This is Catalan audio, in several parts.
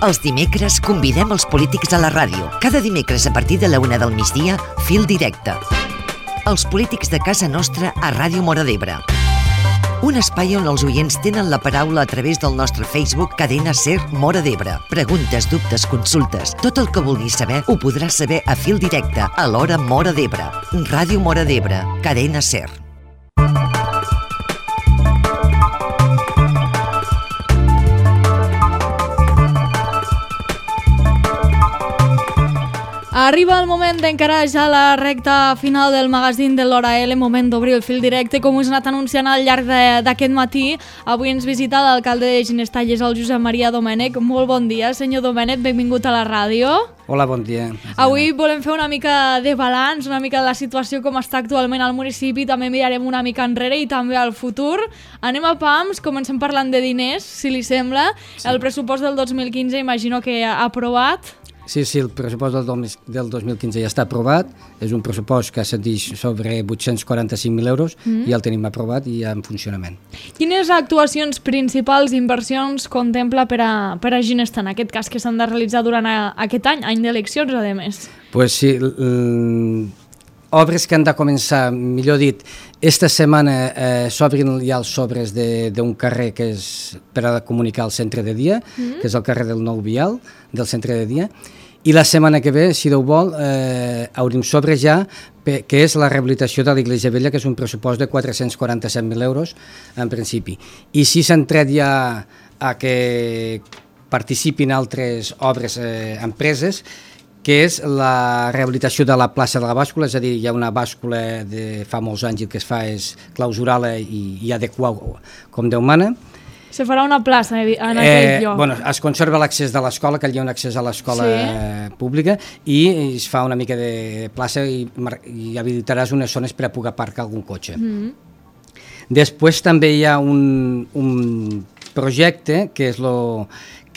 Els dimecres convidem els polítics a la ràdio. Cada dimecres a partir de la 1 del migdia, Fil Directe. Els polítics de casa nostra a Ràdio Móra d'Ebre. Un espai on els oients tenen la paraula a través del nostre Facebook Cadena Ser Móra d'Ebre. Preguntes, dubtes, consultes, tot el que vulguis saber ho podràs saber a Fil Directe a l'hora Móra d'Ebre. Ràdio Móra d'Ebre, Cadena Ser. Arriba el moment d'encarar ja la recta final del magazín de l'Hora L, moment d'obrir el fil directe, com us he anat anunciant al llarg d'aquest matí. Avui ens visita l'alcalde de Ginestalles, el Josep Maria Domènech. Molt bon dia, senyor Domènech, benvingut a la ràdio. Hola, bon dia. Avui volem fer una mica de balanç, una mica de la situació com està actualment al municipi, també mirarem una mica enrere i també al futur. Anem a pams, comencem parlant de diners, si li sembla. Sí. El pressupost del 2015 imagino que ha aprovat. Sí, el pressupost del 2015 ja està aprovat, és un pressupost que s'adeix sobre 845.000 euros i el tenim aprovat i ja en funcionament. Quines actuacions principals, inversions, contempla per a Ginestar, en aquest cas, que s'han de realitzar durant aquest any d'eleccions, a més? Pues sí, obres que han de començar, millor dit, esta setmana s'obrin ja els sobres d'un carrer que és per a comunicar al centre de dia, que és el carrer del Nou Vial, del centre de dia, i la setmana que ve, si Déu vol, obrim sobre ja, que és la rehabilitació de l'Iglésia Vella, que és un pressupost de 447.000 euros, en principi. I si s'han tret ja a que participin altres obres, empreses, que és la rehabilitació de la plaça de la bàscula, és a dir, hi ha una bàscula de fa molts anys i el que es fa és clausurar-la i adequar com Déu mana. Se farà una plaça en aquell lloc. Bueno, es conserva l'accés de l'escola, que hi ha un accés a l'escola pública, i es fa una mica de plaça i habilitaràs unes zones per a poder aparcar algun cotxe. Després també hi ha un projecte que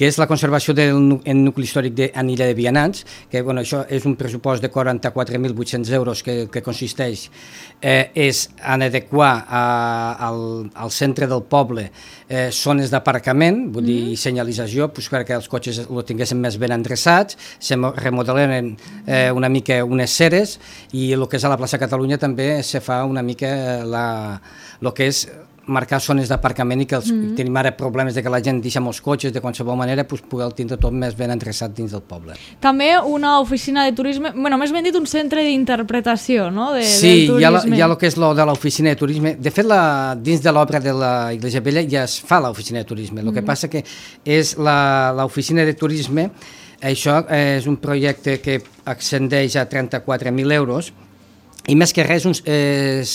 és la conservació del nucli històric d'Anilla de Vianants, que això és un pressupost de 44.800 euros que consisteix en adequar al centre del poble zones d'aparcament, vull dir senyalització, perquè els cotxes ho tinguessin més ben endreçats, se remodelen una mica unes ceres i el que és a la plaça Catalunya també se fa una mica el que és marcar zones d'aparcament i que tenim ara problemes de que la gent deixa molts cotxes de qualsevol manera, poder tindre tot més ben endreçat dins del poble. També una oficina de turisme, més ben dit un centre d'interpretació, no? Sí, hi ha el que és lo de l'oficina de turisme. De fet, dins de l'obra de la Iglésia Vella ja es fa l'oficina de turisme. El que passa que és l'oficina de turisme, això és un projecte que ascendeix a 34.000 euros, i més que res és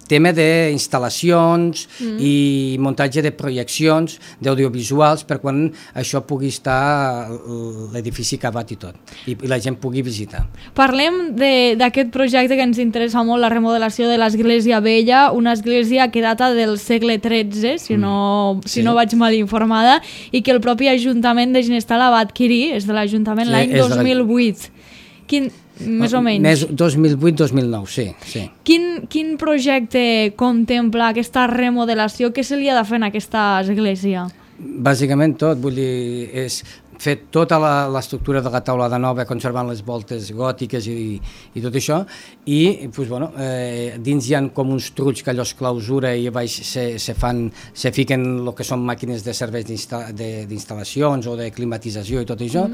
tema d'instal·lacions i muntatge de projeccions d'audiovisuals per quan això pugui estar l'edifici acabat i tot, i la gent pugui visitar. Parlem d'aquest projecte que ens interessa molt, la remodelació de l'Església Vella, una església que data del segle XIII, si no vaig mal informada, i que el propi Ajuntament de Ginestar la va adquirir, és de l'Ajuntament l'any 2008. Més o menys. 2008-2009, sí. Quin projecte contempla aquesta remodelació? Què se li ha de fer en aquesta església? Bàsicament tot, vull dir, és fer tota l'estructura de la taula de nova, conservant les voltes gòtiques i tot això, i dins hi ha com uns trucs que allò es clausura i a baix se fiquen el que són màquines de serveis d'instal·lacions o de climatització i tot això,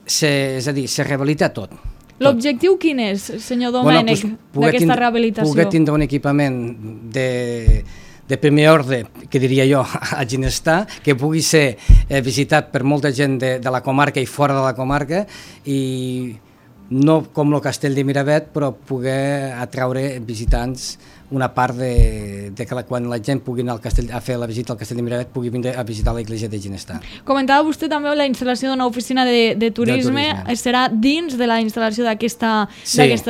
és a dir, se rehabilita tot. L'objectiu quin és, senyor Domènech, d'aquesta rehabilitació? Poder tindre un equipament de primer ordre, que diria jo, a Ginestar, que pugui ser visitat per molta gent de la comarca i fora de la comarca, i no com el castell de Miravet, però poder atraure visitants una part de que quan la gent pugui anar a fer la visita al castell de Miravet pugui vindre a visitar l'església de Ginestar. Comentava vostè també la instal·lació d'una oficina de turisme. Serà dins de la instal·lació d'aquesta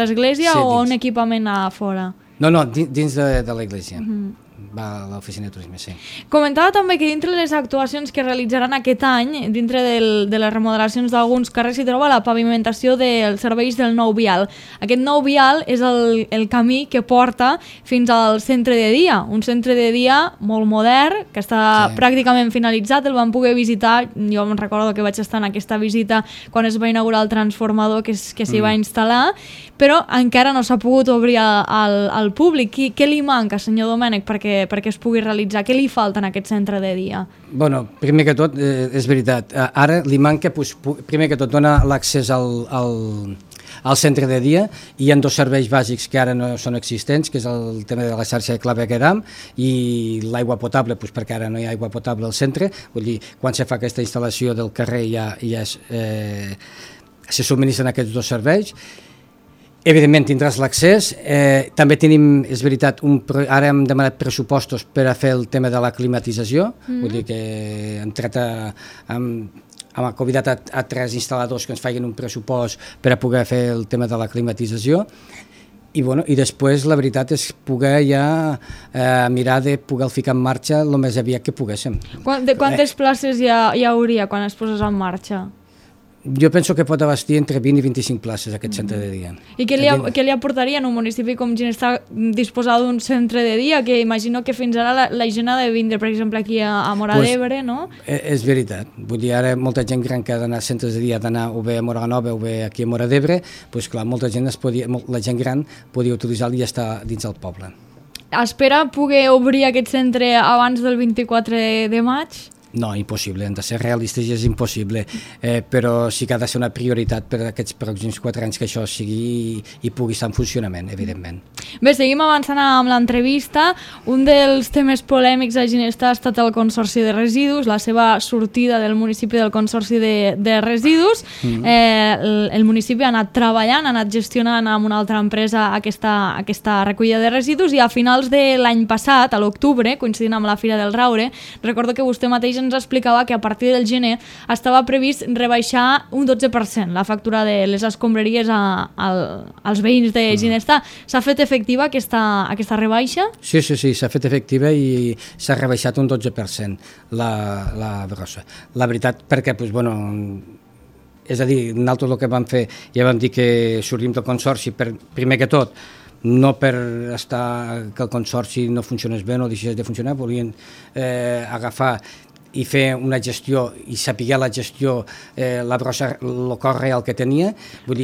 església o un equipament a fora? No, dins de l'església. va a l'oficina de turisme, sí. Comentava també que dintre les actuacions que realitzaran aquest any, dintre de les remodelacions d'alguns carrers, s'hi troba la pavimentació dels serveis del nou vial. Aquest nou vial és el camí que porta fins al centre de dia, un centre de dia molt modern, que està pràcticament finalitzat, el vam poder visitar, jo em recordo que vaig estar en aquesta visita quan es va inaugurar el transformador que s'hi va instal·lar, però encara no s'ha pogut obrir al públic. Què li manca, senyor Domènech, perquè es pugui realitzar? Què li falta en aquest centre de dia? Bueno, primer que tot, és veritat, ara li manca, primer que tot, donar l'accés al centre de dia. Hi ha dos serveis bàsics que ara no són existents, que és el tema de la xarxa de clavegueram i l'aigua potable, perquè ara no hi ha aigua potable al centre. Vull dir, quan se fa aquesta instal·lació del carrer se subministren aquests dos serveis. Evidentment tindràs l'accés, també tenim, és veritat, ara hem demanat pressupostos per a fer el tema de la climatització, vull dir que hem convidat a 3 instal·ladors que ens facin un pressupost per a poder fer el tema de la climatització, i després la veritat és poder ja mirar de poder ficar en marxa el més aviat que poguéssim. Quantes places hi hauria quan es posés en marxa? Jo penso que pot abastir entre 20 i 25 places aquest centre de dia. I què li aportaria en un municipi com Ginestar disposar d'un centre de dia, que imagino que fins ara la gent ha de vindre, per exemple, aquí a Móra d'Ebre, no? És veritat. Vull dir, ara molta gent gran que ha d'anar a centres de dia, ha d'anar o bé a Móra Nova o bé aquí a Móra d'Ebre, doncs clar, molta gent la gent gran podia utilitzar-lo i ja està dins del poble. Espera poder obrir aquest centre abans del 24 de maig? No, impossible, hem de ser realistes i és impossible, però sí que ha de ser una prioritat per aquests pròxims 4 anys que això sigui i pugui estar en funcionament, evidentment. Bé, seguim avançant amb l'entrevista. Un dels temes polèmics a Ginestar ha estat el Consorci de Residus, la seva sortida del municipi del Consorci de Residus. El municipi ha anat treballant, ha anat gestionant amb una altra empresa aquesta recollida de residus i a finals de l'any passat, a l'octubre, coincidint amb la Fira del Raure, recordo que vostè mateix ens explicava que a partir del gener estava previst rebaixar un 12% la factura de les escombraries als veïns de Ginestar. S'ha fet efectiva aquesta rebaixa? Sí, s'ha fet efectiva i s'ha rebaixat un 12% la brossa. La veritat, perquè, és a dir, nosaltres el que vam fer, ja vam dir que sortim del consorci, primer que tot, no per que el consorci no funcionés bé, no deixés de funcionar, volien agafar i fer una gestió i saber la gestió, la brossa, el cost real que tenia.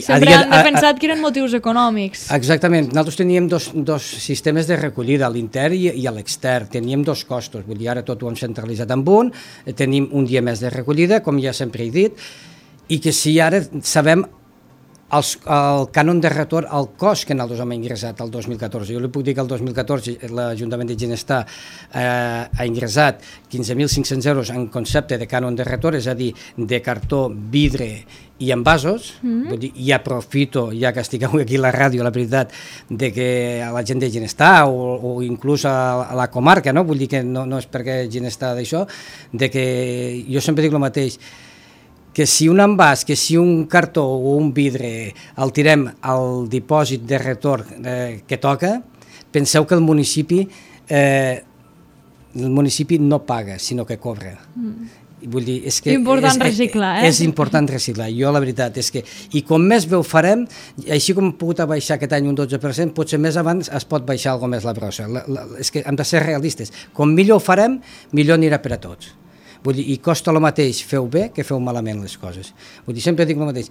Sempre han defensat que eren motius econòmics. Exactament. Nosaltres teníem dos sistemes de recollida, a l'intern i a l'extern. Teníem dos costos. Vull dir, ara tot ho hem centralitzat en un, tenim un dia més de recollida, com ja sempre he dit, i que si ara sabem el cànon de retorn, el cost que nosaltres hem ingressat el 2014. Jo li puc dir que el 2014 l'Ajuntament de Ginestar ha ingressat 15.500 euros en concepte de cànon de retorn, és a dir, de cartó, vidre i envasos. Vull dir, i aprofito, ja que estic aquí a la ràdio, la veritat, de que a la gent de Ginestar o inclús a la comarca, no? Vull dir que no és perquè Ginestar d'això, de que jo sempre dic el mateix, que si un envàs, que si un cartó o un vidre el tirem al dipòsit de retorn que toca, penseu que el municipi no paga, sinó que cobra. Vull dir, és que important reciclar, és important reciclar. Jo la veritat és que, i com més bé ho farem, així com hem pogut baixar aquest any un 12%, potser més abans es pot baixar alguna més la brossa. És que hem de ser realistes. Com millor ho farem, millor anirà per a tots. Vull dir, i costa el mateix feu bé que feu malament les coses. Vull dir, sempre dic el mateix.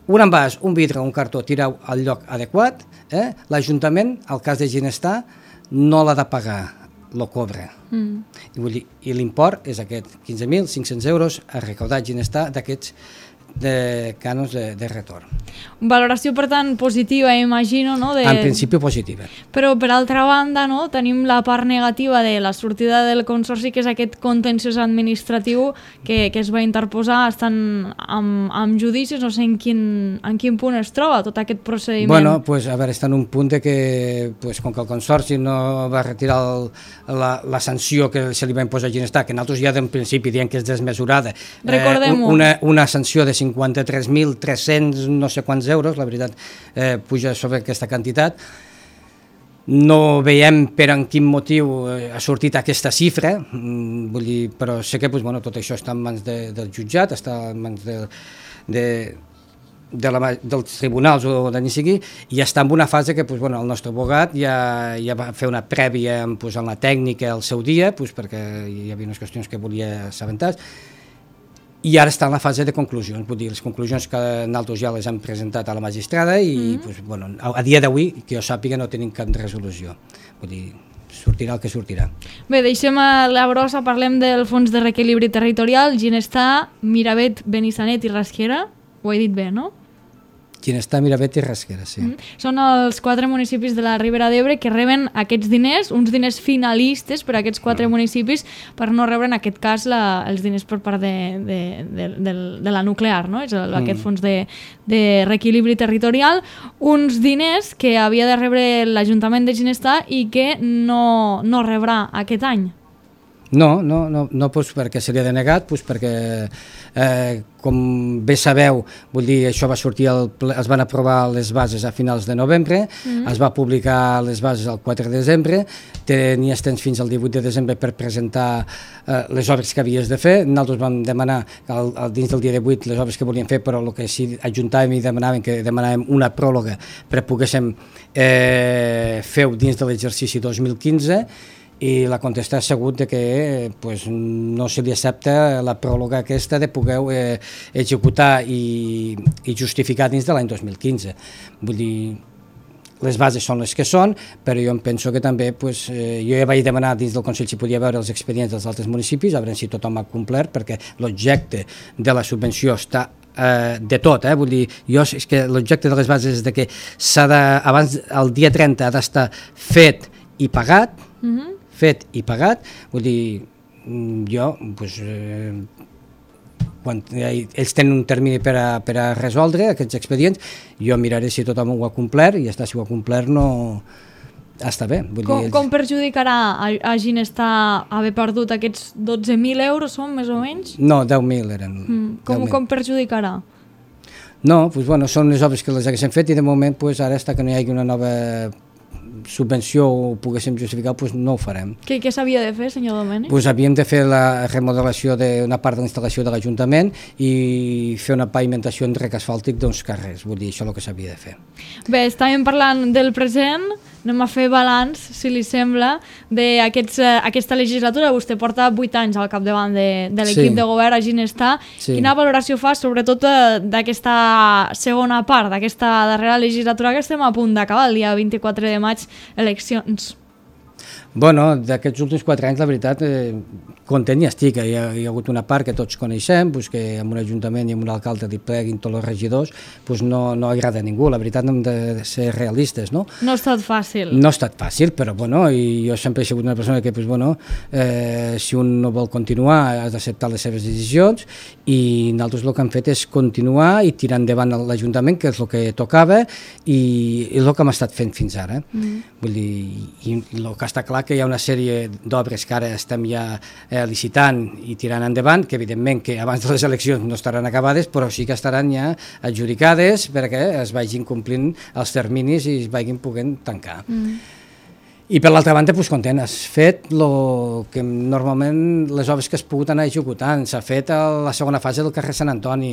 Un envàs, un vidre, un cartó, tireu al lloc adequat, l'Ajuntament, al cas de Ginestar, no l'ha de pagar, lo cobra. I l'import és aquest, 15.500 euros a recaudar Ginestar d'aquests de cànons de retorn. Valoració, per tant, positiva, imagino, no? En principi positiva. Però, per altra banda, no, tenim la part negativa de la sortida del consorci, que és aquest contenciós administratiu que es va interposar, estan amb judicis, no sé en quin punt es troba tot aquest procediment. Bueno, pues, a veure, està en un punt de que, pues, com que el consorci no va retirar la sanció que se li va imposar a Ginestar, que nosaltres ja d'en principi diem que és desmesurada, una sanció de 53.300 no sé quants euros, la veritat, puja sobre aquesta quantitat. no veiem per en quin motiu ha sortit aquesta xifra, vull dir, però sé que tot això està en mans del jutjat, està en mans dels tribunals o d'allà sigui, i està en una fase que el nostre abogat ja va fer una prèvia en la tècnica al seu dia, perquè hi havia unes qüestions que volia assabentar, i ara està en la fase de conclusions, vull dir, les conclusions que nosaltres ja les hem presentat a la magistrada i a dia d'avui, que jo sàpiga, no tenim cap resolució, vull dir, sortirà el que sortirà. Bé, deixem a la brossa, parlem del Fons de Reequilibri Territorial, Ginestar, Miravet, Benissanet i Rasquera, ho he dit bé, no? Ginestar, Miravet i Rasquera, sí. Són els 4 municipis de la Ribera d'Ebre que reben aquests diners, uns diners finalistes per a aquests 4 municipis, per no rebre en aquest cas els diners per part de la nuclear, no? És aquest fons de reequilibri territorial, uns diners que havia de rebre l'Ajuntament de Ginestar i que no rebrà aquest any. No, perquè se li ha denegat, perquè com bé sabeu, vull dir, això va sortir, es van aprovar les bases a finals de novembre, es va publicar les bases el 4 de desembre, tenies temps fins al 18 de desembre per presentar les obres que havies de fer. Nosaltres vam demanar dins del dia 18 les obres que volíem fer, però el que sí ajuntàvem i demanàvem una pròrroga per poguéssim fer-ho dins de l'exercici 2015, i la contesta ha sigut que no se li accepta la pròrroga aquesta de poder executar i justificar dins de l'any 2015. Vull dir, les bases són les que són, però jo em penso que també, jo ja vaig demanar dins del Consell si podia veure els expedients dels altres municipis, a veure si tothom ha complert, perquè l'objecte de la subvenció està de tot, vull dir, és que l'objecte de les bases és que abans el dia 30 ha d'estar fet i pagat, vull dir, jo, quan ells tenen un termini per a resoldre aquests expedients, jo miraré si tothom ho ha complert, i si ho ha complert no està bé. Com perjudicarà a Ginestar haver perdut aquests 12.000 euros, són més o menys? No, 10.000 eren. Com perjudicarà? No, són les obres que les haguéssim fet i de moment ara està que no hi hagi una nova subvenció o poguéssim justificar, no ho farem. Què s'havia de fer, senyor Domènech? Havíem de fer la remodelació d'una part de la instal·lació de l'Ajuntament i fer una pavimentació en rec asfàltic d'uns carrers, vull dir, això és el que s'havia de fer. Bé, estàvem parlant del present, anem a fer balanç, si li sembla, d'aquesta legislatura. Vostè porta 8 anys al capdavant de l'equip de govern a Ginestar. Quina valoració fa, sobretot, d'aquesta segona part, d'aquesta darrera legislatura que estem a punt d'acabar, el dia 24 de maig, eleccions? D'aquests últims 4 anys, la veritat, content ja estic. Hi ha hagut una part que tots coneixem, que amb un ajuntament i amb un alcalde li pleguin tots els regidors, no agrada a ningú. La veritat, hem de ser realistes, no? No ha estat fàcil. No ha estat fàcil, però i jo sempre he sigut una persona que, si un no vol continuar, has d'acceptar les seves decisions, i nosaltres el que hem fet és continuar i tirar endavant l'Ajuntament, que és el que tocava, i és el que hem estat fent fins ara. Vull dir, i el que està clar que hi ha una sèrie d'obres que ara estem ja licitant i tirant endavant, que evidentment que abans de les eleccions no estaran acabades, però sí que estaran ja adjudicades perquè es vagin complint els terminis i es vagin podent tancar. I per l'altra banda, content, has fet el que normalment les obres que has pogut anar executant. S'ha fet a la segona fase del carrer Sant Antoni.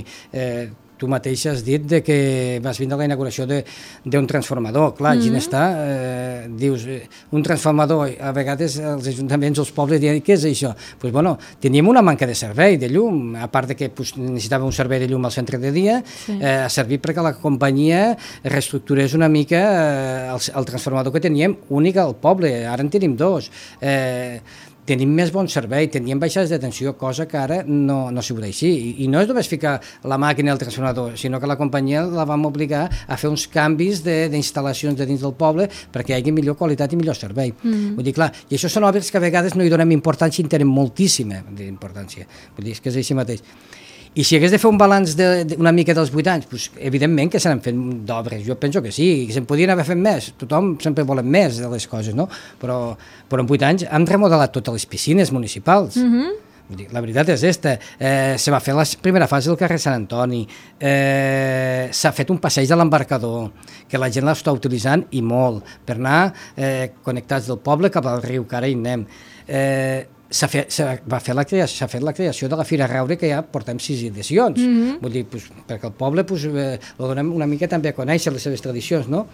Tu mateix has dit que vas vindre a la inauguració d'un transformador. Clar, Ginestar, dius, un transformador, a vegades els ajuntaments, els pobles, diuen, què és això? Teníem una manca de servei de llum, a part que necessitàvem un servei de llum al centre de dia, ha servit perquè la companyia reestructurés una mica el transformador que teníem únic al poble, ara en tenim 2. Tenim més bon servei, teníem baixades de tensió, cosa que ara no s'ho pot així. I no és només ficar la màquina al transformador, sinó que la companyia la vam obligar a fer uns canvis d'instal·lacions de dins del poble perquè hi hagi millor qualitat i millor servei. Vull dir, clar, i això són obres que a vegades no hi donem importància i en tenen moltíssima importància. Vull dir, és que és així mateix. I si hagués de fer un balanç una mica dels 8 anys, evidentment que se n'han fet d'obres, jo penso que sí, que se'n podien haver fet més, tothom sempre volem més de les coses, no? Però en 8 anys hem remodelat totes les piscines municipals. La veritat és esta. Se va fer la primera fase del carrer Sant Antoni, s'ha fet un passeig de l'embarcador, que la gent l'està utilitzant i molt, per anar connectats del poble cap al riu, que ara hi anem. S'ha fet la creació de la Fira Raure, que ja portem 6 edicions. Vull dir, perquè el poble lo donem una mica també a conèixer les seves tradicions, no?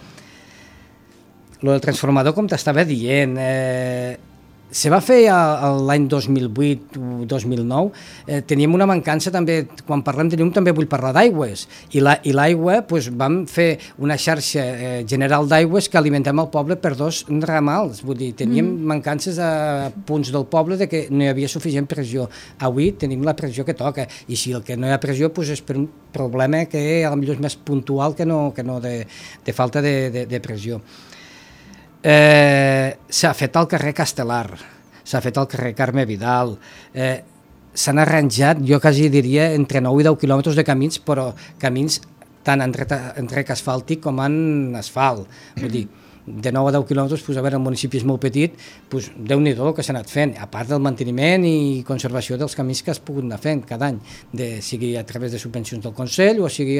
Lo del transformador, com t'estava dient, se va fer l'any 2008 o 2009, teníem una mancança també, quan parlem de llum també vull parlar d'aigües, i l'aigua vam fer una xarxa general d'aigües que alimentem el poble per 2 ramals, vull dir, teníem mancances a punts del poble de que no hi havia suficient pressió. Avui tenim la pressió que toca, i si el que no hi ha pressió és per un problema que potser és més puntual que no de falta de pressió. S'ha fet al carrer Castelar, s'ha fet al carrer Carme Vidal, s'han arranjat, jo quasi diria, entre 9 i 10 quilòmetres de camins, però camins tant en rec asfàltic com en asfalt. Vull dir, de 9 a 10 quilòmetres, a veure, el municipi és molt petit, Déu-n'hi-do el que s'ha anat fent, a part del manteniment i conservació dels camins que has pogut anar fent cada any, sigui a través de subvencions del Consell o sigui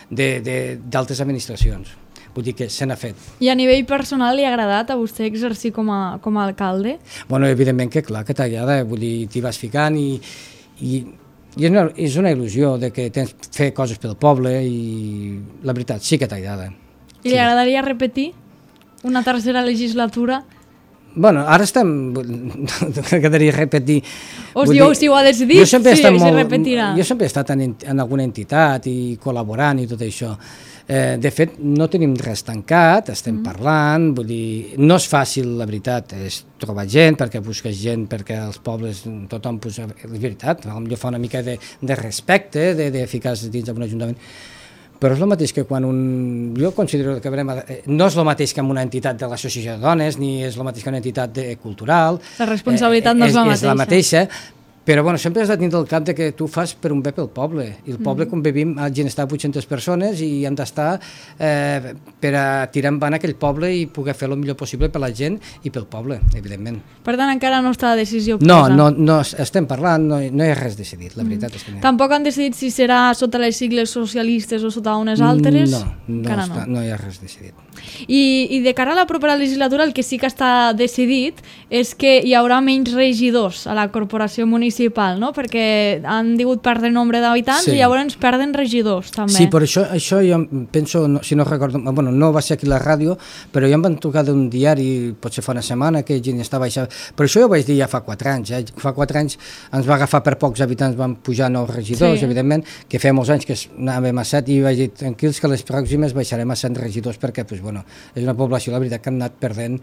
d'altres administracions. Vull dir que se n'ha fet. I a nivell personal li ha agradat a vostè exercir com a alcalde? Bueno, evidentment que clar que t'agrada, vull dir, t'hi vas ficant i és una il·lusió de que tens fer coses pel poble i la veritat sí que t'agrada. I li agradaria repetir una tercera legislatura? Bueno, ara estem... Quedaria repetir... Si ho ha decidit, si repetirà. Jo sempre he estat en alguna entitat i col·laborant i tot això. De fet, no tenim res tancat, estem parlant, vull dir, no és fàcil, la veritat, és trobar gent, perquè busques gent, perquè els pobles, tothom, és veritat, potser fa una mica de respecte, de ficar-se dins d'un ajuntament, però és el mateix que quan jo considero que no és el mateix que en una entitat de l'associació de dones, ni és el mateix que una entitat cultural. La responsabilitat no és la mateixa. És la mateixa, però sempre has de tenir el cap de que tu fas per un bé pel poble, i el poble, com vivim, ha d'estar 800 persones i han d'estar per a tirar endavant aquell poble i poder fer el millor possible per la gent i pel poble, evidentment. Per tant, encara no està la decisió presa? No, estem parlant, no hi ha res decidit, la veritat és que no. Tampoc han decidit si serà sota les sigles socialistes o sota unes altres? No hi ha res decidit. I de cara a la propera legislatura el que sí que està decidit és que hi haurà menys regidors a la corporació municipal, no? Perquè han digut perdre nombre d'habitants i llavors perden regidors també. Sí, per això jo penso, si no recordo, no va ser aquí a la ràdio, però ja em van trucar d'un diari, potser fa una setmana, que gent està baixant. Per això jo ho vaig dir ja fa 4 anys. Fa 4 anys ens va agafar per pocs habitants, van pujar 9 regidors, evidentment, que feia molts anys que anàvem a 7 i vaig dir tranquils que les pròximes baixarem a 100 regidors perquè és una població, la veritat, que han anat perdent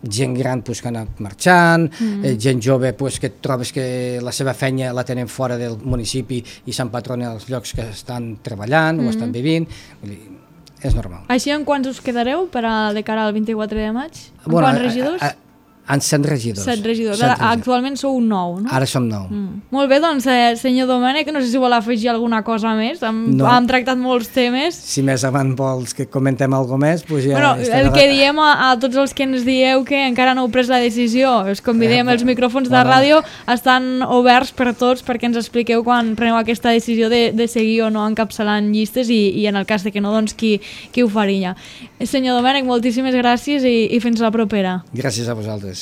gent gran que ha anat marxant, gent jove que trobes que la seva feina la tenen fora del municipi i s'empatronen als llocs que estan treballant o estan vivint. És normal. Així en quants us quedareu de cara al 24 de maig? En quants regidors? En 100 regidors. 7 regidors. Actualment sou 9, no? Ara som 9. Molt bé, doncs, senyor Domènech, no sé si vol afegir alguna cosa més. Hem tractat molts temes. Si més avant vols que comentem alguna més, doncs ja... El que diem a tots els que ens dieu que encara no heu pres la decisió, us convidem, els micròfons de ràdio estan oberts per tots perquè ens expliqueu quan preneu aquesta decisió de seguir o no encapçalant llistes i en el cas de que no, doncs qui ho faria. Senyor Domènech, moltíssimes gràcies i fins la propera. Gràcies a vosaltres.